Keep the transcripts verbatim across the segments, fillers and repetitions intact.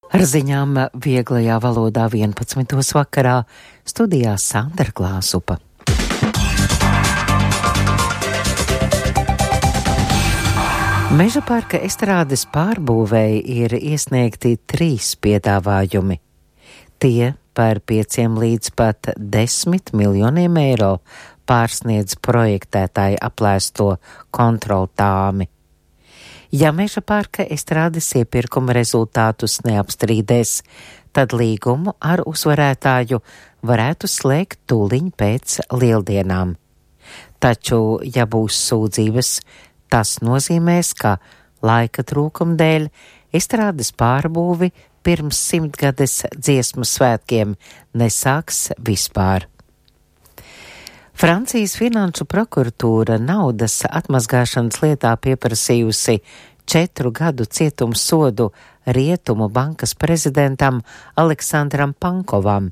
Ar ziņām vieglajā valodā vienpadsmitos vakarā studijā Sandra Klāsupa. Meža parka estrādes pārbūvēji ir iesniegti trīs piedāvājumi. Tie par pieciem līdz pat desmit miljoniem eiro pārsniedz projektētāji aplēsto kontrolu tāmi. Ja Meža parka estrādes iepirkuma rezultātus neapstrīdēs, tad līgumu ar uzvarētāju varētu slēgt tūliņ pēc lieldienām. Taču, ja būs sūdzības, tas nozīmēs, ka laika trūkuma dēļ estrādes pārbūvi pirms simtgades dziesmu svētkiem nesāks vispār. Francijas finanšu prokuratūra naudas atmazgāšanas lietā pieprasījusi četru gadu cietumsodu Rietumu bankas prezidentam Aleksandram Pankovam,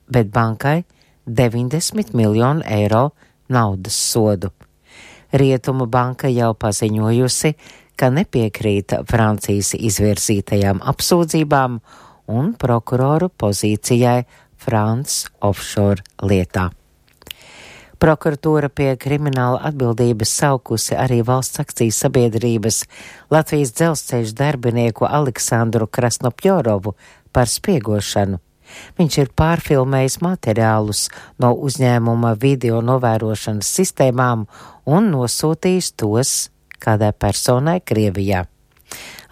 bet bankai deviņdesmit miljonu eiro naudas sodu. Rietumu banka jau paziņojusi, ka nepiekrīt Francijas izvirzītajām apsūdzībām un prokuroru pozīcijai France offshore lietā. Prokuratūra pie krimināla atbildības saukusi arī valsts akciju sabiedrības Latvijas dzelzceļa darbinieku Aleksandru Krasnopjorovu par spiegošanu. Viņš ir pārfilmējis materiālus no uzņēmuma video novērošanas sistēmām un nosūtījis tos kādai personai Krievijā.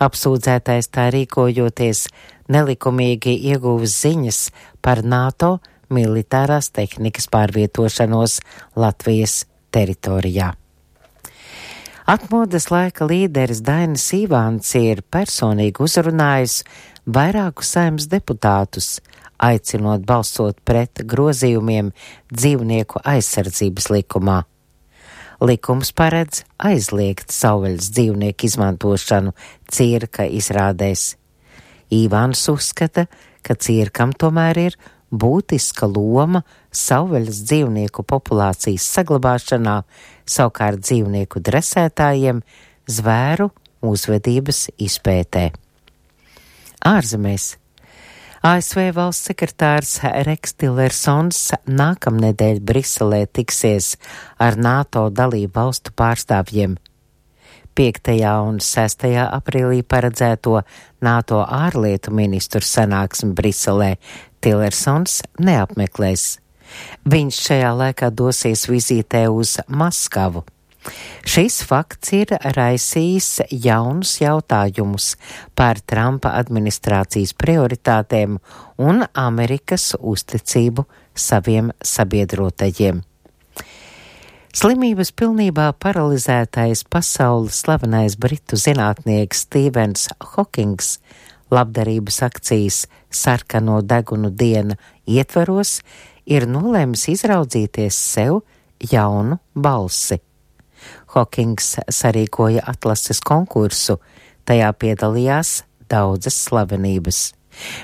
Apsūdzētais tā rīkojoties nelikumīgi ieguvis ziņas par NATO militārās tehnikas pārvietošanos Latvijas teritorijā. Atmodas laika līderis Dainis Ivāns ir personīgi uzrunājis vairākus saimnes deputātus, aicinot balsot pret grozījumiem dzīvnieku aizsardzības likumā. Likums paredz aizliegt savvaļas dzīvnieku izmantošanu cirka izrādēs. Ivāns uzskata, ka cirkam tomēr ir būtiska loma savvaļas dzīvnieku populācijas saglabāšanā, savukārt dzīvnieku dresētājiem zvēru uzvedības izpētē. Ārzemēs. A S V valsts sekretārs Reks Tillersons nākamnedēļ Briselē tiksies ar NATO dalību valstu pārstāvjiem. piektajā un sestajā aprīlī paredzēto NATO ārlietu ministru sanāksmi Briselē Tillersons neapmeklēs. Viņš šajā laikā dosies vizītē uz Maskavu. Šis fakts ir raisījis jaunus jautājumus par Trumpa administrācijas prioritātēm un Amerikas uzticību saviem sabiedrotajiem. Slimības pilnībā paralizētais pasaules slavenais britu zinātnieks Stīvens Hokings labdarības akcijas Sarkano degunu diena ietvaros ir nolēmis izraudzīties sev jaunu balsi. Hokings sarīkoja atlases konkursu, tajā piedalījās daudzas slavenības.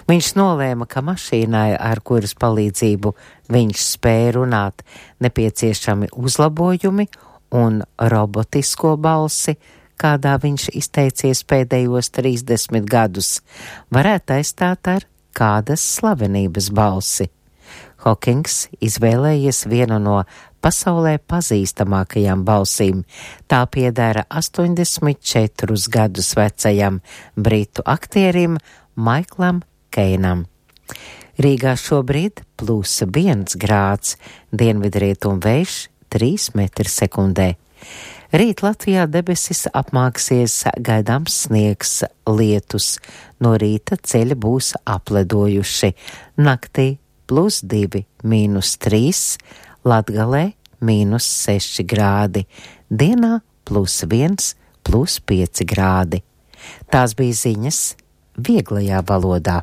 Viņš nolēma, ka mašīnai, ar kuras palīdzību viņš spēja runāt, nepieciešami uzlabojumi un robotisko balsi, kādā viņš izteicies pēdējos trīsdesmit gadus, varētu aizstāt ar kādas slavenības balsi. Hokings izvēlējies vienu no pasaulē pazīstamākajām balsīm. Tā piedara astoņdesmit četrus gadus vecajam britu aktierim Maiklam Keinam. Rīgā šobrīd plus viens grāds, dienvidrietumu vējš trīs metri sekundē. Rīt Latvijā debesis apmāksies, gaidāms sniegs, lietus. No rīta ceļi būs apledojuši. Naktī plus divi, mīnus trīs, Latgalē mīnus seši grādi. Dienā plus viens, plus pieci grādi. Tās bija ziņas vieglajā valodā.